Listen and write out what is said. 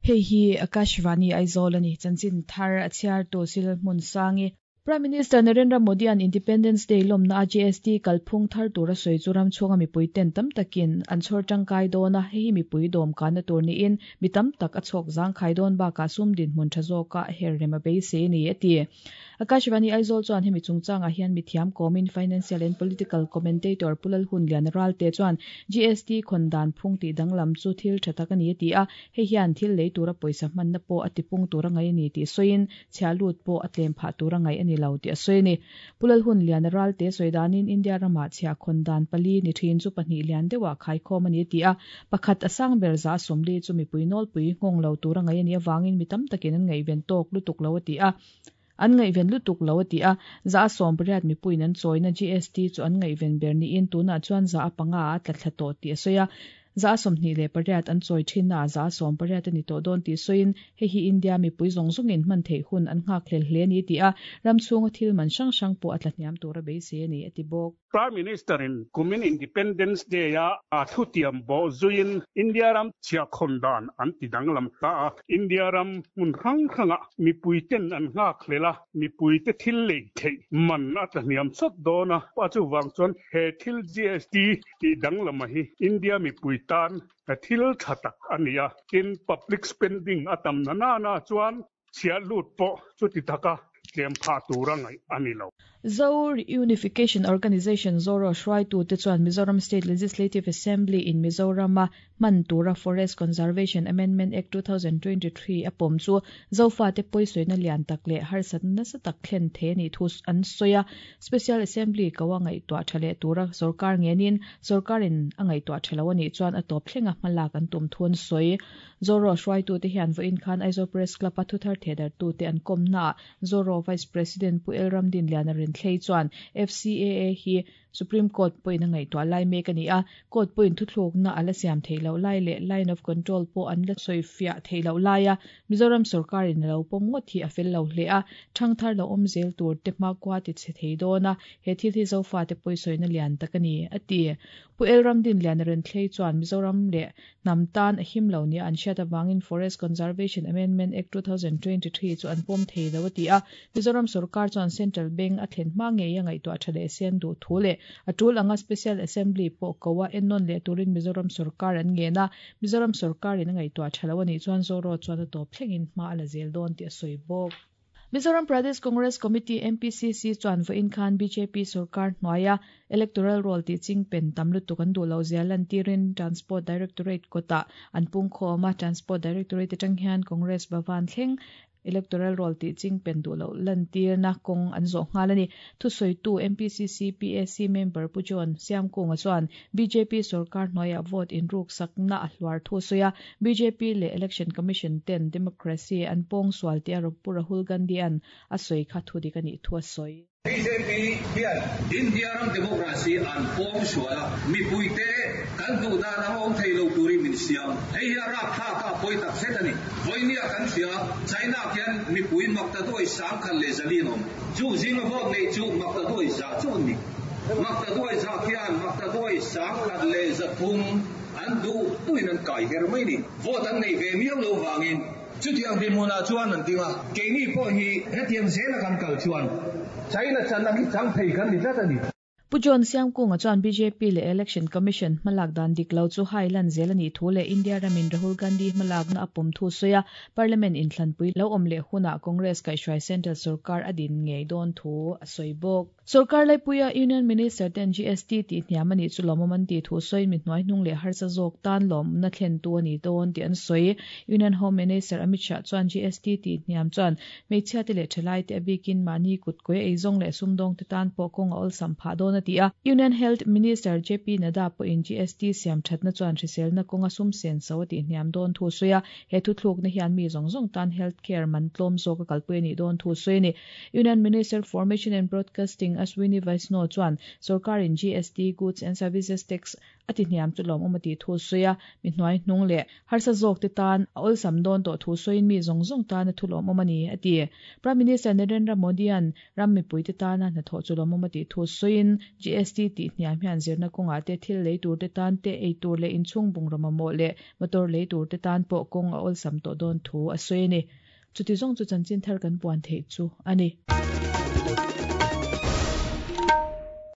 Hei hi Akashvani Aizawl a ni. Chanchin thar a chhiartu Sil Hmunsangi. Prime Minister Narendra Modi-a'n Independence Day lawmna a GST kalphung thar tura sawi chu ram chhunga mipui ten tam takin an chhawr tangkai dawn a, hei hi mipui dawm kanna tur niin mi tam tak a chhawk zangkhai dawn bakah sum dinhmun tha zawka her rem a beisei a ni, a ti. Akashvani Aizawl chuan hemi chungchangah hian mithiam kawmin Financial and Political Commentator Pu Lalhunliana Ralte chuan GST khawn dan phung tih danglam chu thil tha tak a ni a ti a, hei hian thil lei tura pawisa hmanna pawh a tipung tur a ngaih a ni tih sawiin chhia lut pawh a tlem phah tur a ngaih a ni lo tih a sawi a ni. Pu Lalhunliana Ralte sawi danin India ramah chhia khawn dan pali ni thin chu pahnih lian deuhah khaikhawm a ni a ti a, pakhat a sang ber za 40 chu mipui nawlpui nghawng lo tur a ngaih a nih avangin mi tam takin an ngaihven tawk lutuk lo a ti a. An ngaihven lutuk lo a ti a, 80% mipuiin an chawina GST chu an ngaihven ber niin tunah chuan 5% a tla thla tawh tih a sawi a. 28% an chawi thinnaah 80% a ni tawh dawn tih sawiin hei hi India mipui zawng zawngin hman theih hun an nghakhlel hle a ni ti a, ram chhunga thil man hrang hrang pawh a tla hniam tur a beisei a ni a ti bawk. Prime Minister in kumin Independence Day a a thutiam bawh zuiin India ram chhiahkhawn dan an ti danglam ta a. India ram hmun hrang hrangah mipuiten an nghakhlel a, mipuite thil lei theih man a tla hniam sawt dawn a. A chuvang chuan he thil GST tih danglama hi India mipui tan thil tha tak a ni a. Tin, public spending a tam na nana chuan Chhiah lut pawh chuti taka tlem phah tura ngaih a ni lo. Zo Reunification Organisation, ZORO, hruaitute chuan Mizoram State Legislative Assembly in Mizorama hman tura Forest Conservation Amendment Act 2023 a pawm chu Zofate pawisawiina lian tak leh harsatna nasa tak thlen thei a nih thu an sawi a. Special Assembly ko a ngaihtuah tha leh tura sorkar ngenin sorkarin a ngaihtuah tha lo a nih chuan a tawp thlenga hmalak an tum thu an sawi. Zoro hruaitute hian vawiin khan Aizawl Press Club-a thuthar thehdarhtute an kawmnaah Zoro Vice President Pu El Ramdinliana Renthlei chuan FCAA hi Supreme Court pawhin a ngaihtuah lai mek a ni a, Court pawhin thuthlukna a la siam theih loh lai leh Line of Control pawh an la sawifiah theih loh laia Mizoram sawrkarin a lo pawm ngawt hi a fel lo hle a, ṭhangthar lo awm zel tur te hmakhua ti chhe thei dawn a, he thil hi Zofate pawisawiina lian tak a ni, a ti. Pu El Ramdinliana Renthlei chuan Mizoram leh Hnam tan a him lo nia an hriat avangin Forest Conservation Amendment Act 2023 chu an pawm thei lo a ti a. Mizoram sorkar chuan Central Bank a thlen hma ngei a ngaihtuah tha leh sen duh thu leh a tul anga Special Assembly pawh ko a ennawn leh turin Mizoram sorkar an ngen a. Mizoram sorkarin a ngaihtuah tha lo a nih chuan Zoro chuan a tawp thlengin hma a la zel dawn tih a sawi bawk. Mizoram Pradesh Congress Committee, MPCC, chuan vawiin khan bjp sorkar hnuaia Electoral Roll tih ching pen tam lutuk an duh loh zia lantirin Transport Directorate kawtah an pungkhawm a, Transport Directorate atang hian Congress Bhavan thleng Electoral Roll tih ching pen duh loh lantirna kawng an zawh nghal a ni. Thusawitu MPCC PAC member Pu John Siamkunga chuan bjp sorkar hnuaiah vote inruksakna a hluar thu a sawi a, bjp leh Election Commission ten democracy an pawngsual tih a Pu Rahul Gandhi-a'n a sawi kha thudik a nih thu a sawi. Bjp hian India ram democracy an pawngsual a, mipuite kan duh dan ang awm thei lo turin min siam. Hei hi a rapthlak a, a pawi tak zet a ni. Vawinia kan hria, China khian mipui maktaduai 1400 an awm. Chu zinga vote neih chu maktaduai za chu an ni. Maktaduai za khian maktaduai 1300 an duh duhin an kai her mai ni. Vote an neih ve miau lo vangin chutiang dinhmunah chuan an ding a. Keini pawh hi hetiang zela kan kal chuan China chan ang hi chang thei kan ni tlat a ni. Pu John Siamkunga chuan bjp leh Election Commission hmalak dan dik lo chu hai lan zel a nih thu leh India ramin Rahul Gandhi hmalakna a pawm thu sawi a, Parliament inthlanpui lo awm leh hunah Congress kaihhruai Central sorkar a din ngei dawn thu a sawi bawk. Sorkar laipuia Union Minister ten GST tih hniam a nih chu lawmawm an tih thu sawiin mi hnuaihnung leh harsa zawk tan lawmna thlentu a ni dawn tih an sawi. Union Home Minister Amit Shah chuan GST tih hniam chuan Hmeichhiate leh thalaite a bikin mahni kut kawi eizawng leh sumdawngte tan pawh kawng a awlsam phah dawn a ti a. Union Health Minister JP Nadda pawhin GST siam thatna chuan hriselna kawnga sum sen so a tihhniam dawn thu a sawi a, he thuthlukna hian mi zawng zawng tan health care man tlawm zawk a kalpui a nih dawn thu a sawi a ni. Union Minister for Mission and Broadcasting Ashwini Vaishnaw chuan sorkarin GST, Goods and Services Tax, A ti hniam chu lawmawm a tih thu a sawi a, mi hnuai hnung leh harsa zawk te tan a awlsam dawn tawh thu sawiin mi zawng zawng tan a thu lawmawm a ni, a ti. Prime Minister Narendra Modi-a'n ram mipuite tana hnathawh chu lawmawm a tih thu sawiin. GST tih hniam hian zirna kawngah te, thil lei tur te tan te, ei tur leh inchhung bungraw mamawh leh motor lei tur te tan pawh kawng a awlsam tawh dawn thu a sawi a ni. Chuti zawng chu chanchin thar kan puan theih chu a ni.